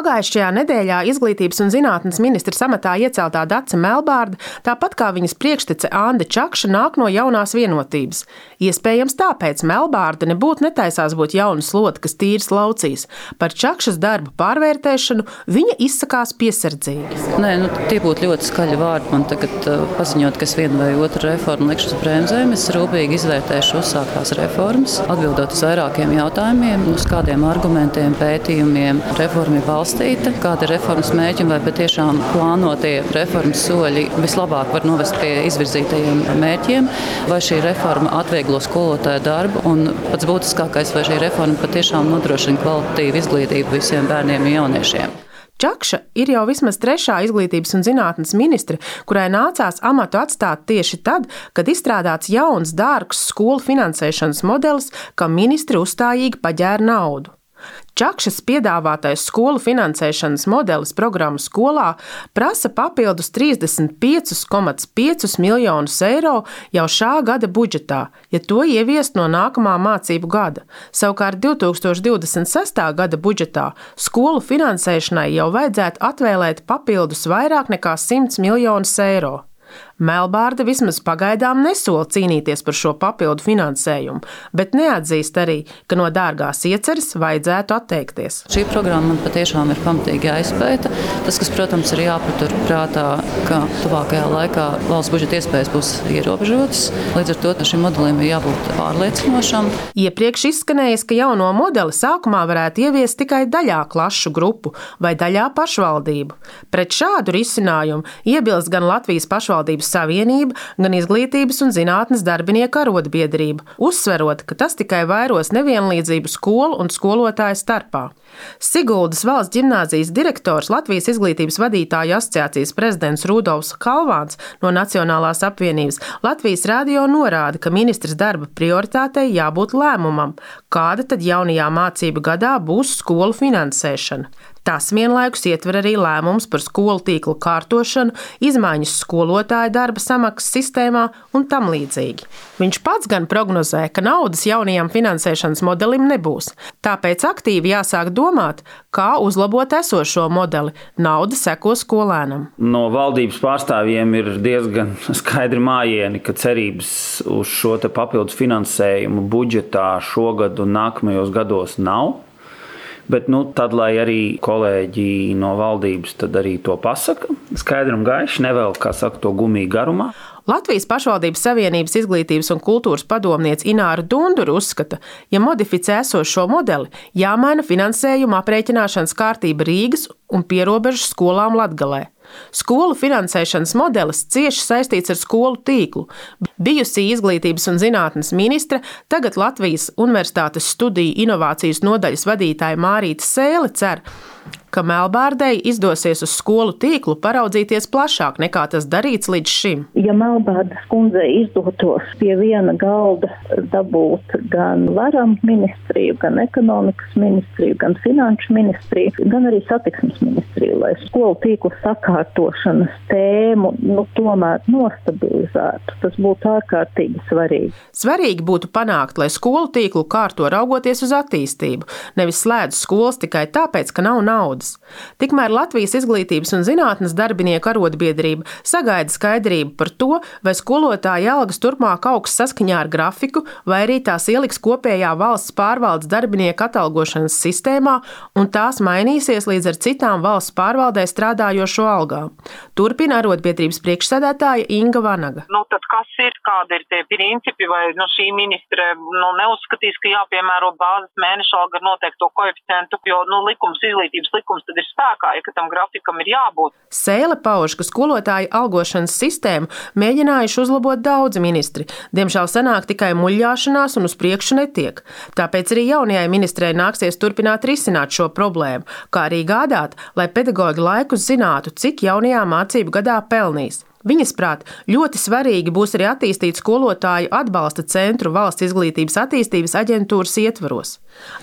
Pagājušajā nedēļā Izglītības un zinātnes ministres amatā ieceltā Dace Melbārde, tāpat kā viņas priekštece Ande Čakša, nāk no jaunās vienotības. Iespējams tāpēc Melbārde nebūtu netaisās būt jauna slota, kas tīras laucīs. Par Čakšas darbu pārvērtēšanu viņa izsakās piesardzīgi. Tie būtu ļoti skaļi vārdi. Man tagad paziņot, ka es vienu vai otru reformu likšu uz bremzēm. Es rūpīgi izvērtēšu uzsāktās reformas, atbildot uz vairākiem jautājumiem, uz kādiem argumentiem, pētījumiem reforma ir balstīta, kāda ir reformas mērķi un vai patiešām plānotie reformas soļi vislabāk var novest pie izvirzītajiem mērķiem, vai šī reforma atvieglo skolotāju darbu un pats būtiskākais, vai šī reforma patiešām nodrošina kvalitatīvu izglītību visiem bērniem un jauniešiem. Čakša ir jau vismaz 3. izglītības un zinātnes ministre, kurai nācās amatu atstāt tieši tad, kad izstrādāts jauns, dārgs skolu finansēšanas modelis, kam ministri uzstājīgi paģēra naudu. Čakšas piedāvātais skolu finansēšanas modelis programmu skolā prasa papildus 35,5 miljonus eiro jau šā gada budžetā, ja to ieviest no nākamā mācību gada. Savukārt 2026. gada budžetā skolu finansēšanai jau vajadzētu atvēlēt papildus vairāk nekā 100 miljonus eiro. Melbārde vismaz pagaidām nesola cīnīties par šo papildu finansējumu, bet neatzīst arī, ka no dārgās ieceres vajadzētu atteikties. Šī programma man patiešām ir pamatīgi jāizpēta. Tas, kas, protams, ir jāpatur prātā, ka tuvākajā laikā valsts budžeta iespējas būs ierobežotas. Līdz ar to šim modelim ir jābūt pārliecinošam. Iepriekš izskanējis, ka jauno modeli sākumā varētu ieviest tikai daļā klašu grupu vai daļā pašvaldību. Pret šādu risinājumu iebilst gan Latvijas pašvaldības savienība, gan Izglītības un zinātnes darbinieku arotbiedrība, uzsverot, ka tas tikai vairos nevienlīdzību skolu un skolotāju starpā. Siguldas valsts ģimnāzijas direktors, Latvijas izglītības vadītāju asociācijas prezidents Rudolfs Kalvāns no Nacionālās apvienības Latvijas radio norāda, ka ministres darba prioritātei jābūt lēmumam, kāda tad jaunajā mācību gadā būs skolu finansēšana. Tas vienlaikus ietver arī lēmums par skolu tīklu kārtošanu, izmaiņas skolotāju darba samaksas sistēmā un tam līdzīgi. Viņš pats gan prognozē, ka naudas jaunajam finansēšanas modelim nebūs, tāpēc aktīvi jāsāk domāt, kā uzlabot esošo modeli. Nauda seko skolēnam. No valdības pārstāvjiem ir diezgan skaidri mājieni, ka cerības uz šo te papildus finansējumu budžetā šogad un nākamajos gados nav. Bet tad, lai arī kolēģi no valdības tad arī to pasaka, skaidri un gaiši, nevēl, kā saka, to gumiju garumā. Latvijas pašvaldības savienības izglītības un kultūras padomniece Ināra Dundura uzskata, ja modificē esošo modeli, jāmaina finansējuma aprēķināšanas kārtība Rīgas un pierobežu skolām Latgalē. Skolu finansēšanas modelis cieši saistīts ar skolu tīklu. Bijusī izglītības un zinātnes ministre, tagad Latvijas Universitātes studiju inovācijas nodaļas vadītāja Mārīte Sēle cer, ka Melbārdei izdosies uz skolu tīklu paraudzīties plašāk nekā tas darīts līdz šim. Ja Melbārdes kundzei izdotos pie viena galda dabūt gan varam ministriju, gan ekonomikas ministriju, gan finanšu ministriju, gan arī satiksmes ministriju, lai skolu tīklu sakārtošanas tēmu tomēr nostabilizētu. Tas būtu ārkārtīgi svarīgi. Svarīgi būtu panākt, lai skolu tīklu kārto raugoties uz attīstību, nevis slēdz skolas tikai tāpēc, ka nav naudas. Tikmēr Latvijas izglītības un zinātnes darbinieku arotbiedrība sagaida skaidrību par to, vai skolotāja algas turpmāk augs saskaņā ar grafiku, vai arī tās ieliks kopējā valsts pārvaldes darbinieku atalgošanas sistēmā, un tās mainīsies līdz ar citām valsts pārvaldē strādājošo algām. Turpina arotbiedrības priekšsēdētāja Inga Vanaga. Tad kas ir, kādi ir tie principi, vai šī ministre neuzskatīs, ka jāpiemēro bāzes mēneša alga ar noteikto koeficientu, jo likums, izglītības likums tad ir spēkā, ja tam grafikam ir jābūt. Sēle pauž, ka skolotāju algošanas sistēmu mēģinājuši uzlabot daudzi ministri. Diemžēl sanāk tikai muļļāšanās un uz priekšu netiek. Tāpēc arī jaunajai ministrei nāksies turpināt risināt šo problēmu, kā arī gādāt, lai pedagoģi laikus zinātu, cik jaunajā mācību gadā pelnīs. Viņas prāt, ļoti svarīgi būs arī attīstīt skolotāju atbalsta centru Valsts izglītības attīstības aģentūras ietvaros.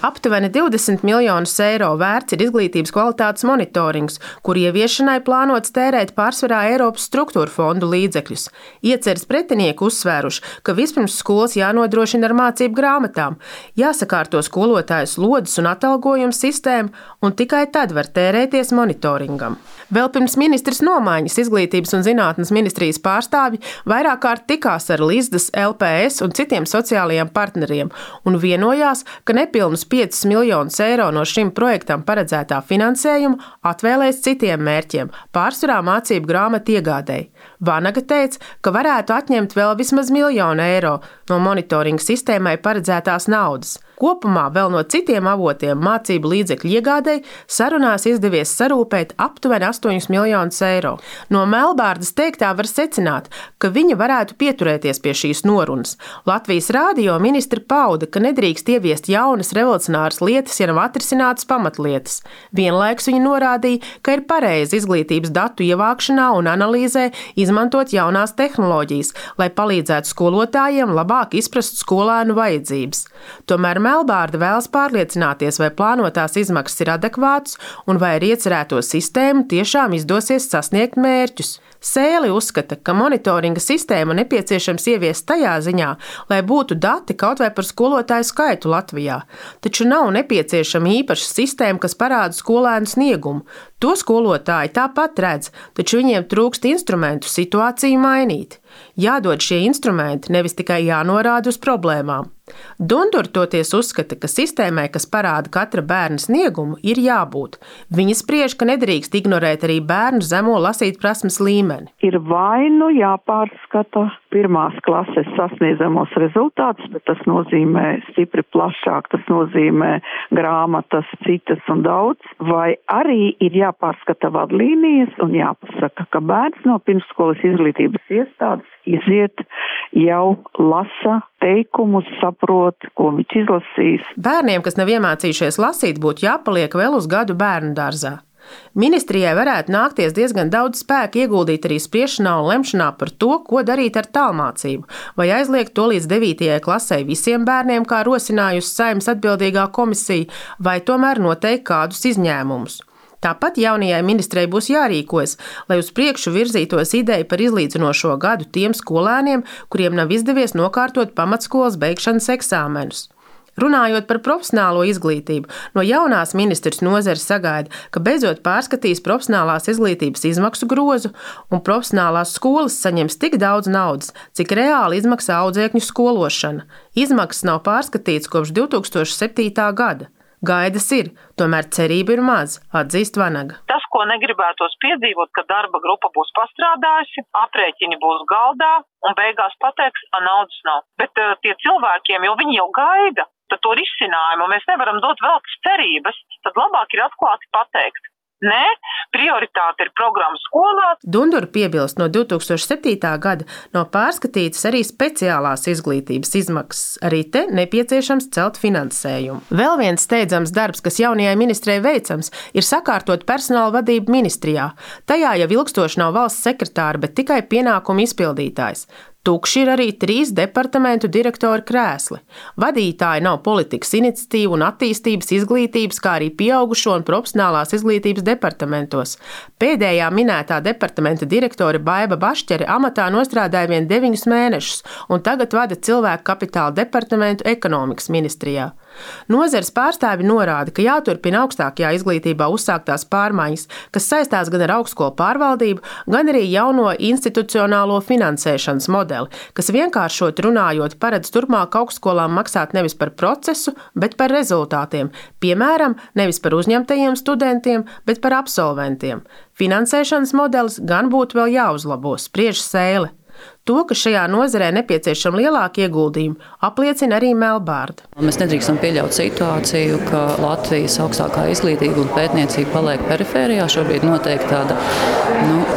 Aptuveni 20 miljonus eiro vērts ir izglītības kvalitātes monitorings, kur ieviešanai plānots tērēt pārsvarā Eiropas struktūra fondu līdzekļus. Ieceres pretinieki uzsvēruši, ka vispirms skolas jānodrošina ar mācību grāmatām, jāsakārto skolotāju slodzes un atalgojumu sistēmu, un tikai tad var tērēties monitoringam. Vēl pirms ministres nomaiņas Izglītības un zinātnes ministrijas pārstāvji vairāk kārt tikās ar Lizdas, LPS un citiem sociālajiem partneriem un vienojās, ka nepilnus 5 miljonus eiro no šim projektam paredzētā finansējuma atvēlēs citiem mērķiem, pārsvarā mācību grāmatu iegādēji. Vanaga teica, ka varētu atņemt vēl vismaz 1 miljonu eiro no monitoringa sistēmai paredzētās naudas. Kopumā vēl no citiem avotiem mācību līdzekļu iegādēji sarunās izdevies sarūpēt aptuveni 8 miljonus eiro. No Melbārdas teiktā var secināt, ka viņa varētu pieturēties pie šīs norunas. Latvijas Rādio ministri pauda, ka nedrīkst ieviest jaunas revolucionāras lietas, ja nav atrisinātas pamatlietas. Vienlaikus viņa norādīja, ka ir pareizi izglītības datu ievākšanā un analīzē izmantot jaunās tehnoloģijas, lai palīdzētu skolotājiem labāk izprast skolēnu vajadzības. Tomēr Melbārda vēlas pārliecināties, vai plānotās izmaksas ir adekvātas un vai ar iecerēto sistēmu tiešām izdosies sasniegt mērķus. Sēli uzskata, ka monitoringa sistēmu nepieciešams ieviest tajā ziņā, lai būtu dati kaut vai par skolotāju skaitu Latvijā. Taču nav nepieciešama īpaša sistēma, kas parāda skolēnu sniegumu. To skolotāji tāpat redz, taču viņiem trūkst instrumentu situāciju mainīt. Jādod šie instrumenti, nevis tikai jānorāda uz problēmām. Dundur toties uzskata, ka sistēmai, kas parāda katra bērna sniegumu, ir jābūt. Viņa spriež, ka nedrīkst ignorēt arī bērnu zemo lasīt prasmes līmeni. Ir vai nu jāpārskata 1. klases sasniedzamos rezultātus, bet tas nozīmē stipri plašāk, tas nozīmē grāmatas, citas un daudz, vai arī ir jāpārskata vadlīnijas un jāpasaka, ka bērns no pirmsskolas izglītības iestādes iziet jau lasa teikumus, saprot, ko viņš izlasīs. Bērniem, kas nav iemācījušies lasīt, būtu jāpaliek vēl uz gadu bērnu dārzā. Ministrijai varētu nākties diezgan daudz spēka ieguldīt arī spriešanā un lemšanā par to, ko darīt ar tālmācību, vai aizliegt to līdz 9. klasei visiem bērniem, kā rosinājusi Saeimas atbildīgā komisija, vai tomēr noteikt kādus izņēmumus. Tāpat jaunajai ministrei būs jārīkojas, lai uz priekšu virzītos ideja par izlīdzinošo gadu tiem skolēniem, kuriem nav izdevies nokārtot pamatskolas beigšanas eksāmenus. Runājot par profesionālo izglītību, no jaunās ministres nozares sagaida, ka beidzot pārskatīs profesionālās izglītības izmaksu grozu un profesionālās skolas saņems tik daudz naudas, cik reāli izmaksā audzēkņu skološana. Izmaksas nav pārskatīts kopš 2007. gada. Gaidas ir, tomēr cerība ir maz, atzīst Vanaga. Tas, ko negribētos piedzīvot, ka darba grupa būs pastrādājusi, aprēķini būs galdā un beigās pateiks, ka naudas nav. Bet tie cilvēkiem, jo viņi jau gaida, tad to risinājumu mēs nevaram dot velkas cerības, tad labāk ir atklāti pateikt. Nē, prioritāte ir programma skolā. Dundur piebilst, no 2007. gada nav pārskatītas arī speciālās izglītības izmaksas. Arī te nepieciešams celt finansējumu. Vēl viens steidzams darbs, kas jaunajai ministrei veicams, ir sakārtot personāla vadību ministrijā. Tajā jau ilgstoši nav valsts sekretāra, bet tikai pienākumu izpildītājs. Tukši ir arī 3 departamentu direktori krēsli. Vadītāji nav politikas iniciatīvu un attīstības, izglītības, kā arī pieaugušo un profesionālās izglītības departamentos. Pēdējā minētā departamenta direktore Baiba Bašķere amatā nostrādāja vien 9 mēnešus un tagad vada cilvēku kapitāla departamentu ekonomikas ministrijā. Nozares pārstāvi norāda, ka jāturpina augstākajā izglītībā uzsāktās pārmaiņas, kas saistās gan ar augstskolu pārvaldību, gan arī jauno institucionālo finansēšanas modeli, kas vienkāršot runājot paredz turpmāk augstskolām maksāt nevis par procesu, bet par rezultātiem, piemēram, nevis par uzņemtajiem studentiem, bet par absolventiem. Finansēšanas modelis gan būtu vēl jāuzlabo, spriež Sēle. To, ka šajā nozarē nepieciešama lielāka ieguldījuma, apliecina arī Melbārda. Mēs nedrīkstam pieļaut situāciju, ka Latvijas augstākā izglītība un pētniecība paliek perifērijā. Šobrīd notiek tāda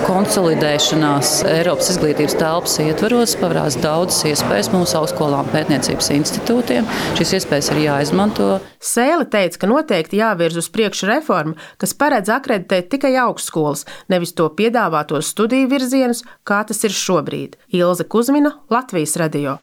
konsolidēšanās Eiropas izglītības telpas ietveros, pavērās daudzas iespējas mūsu augstskolām pētniecības institūtiem. Šīs iespējas ir jāizmanto. Sēle teica, ka noteikti jāvirz uz priekšu reforma, kas paredz akreditēt tikai augstskolas, nevis to piedāvātos studiju virzienus, kā tas ir šobrīd. Ilze Kuzmina, Latvijas radio.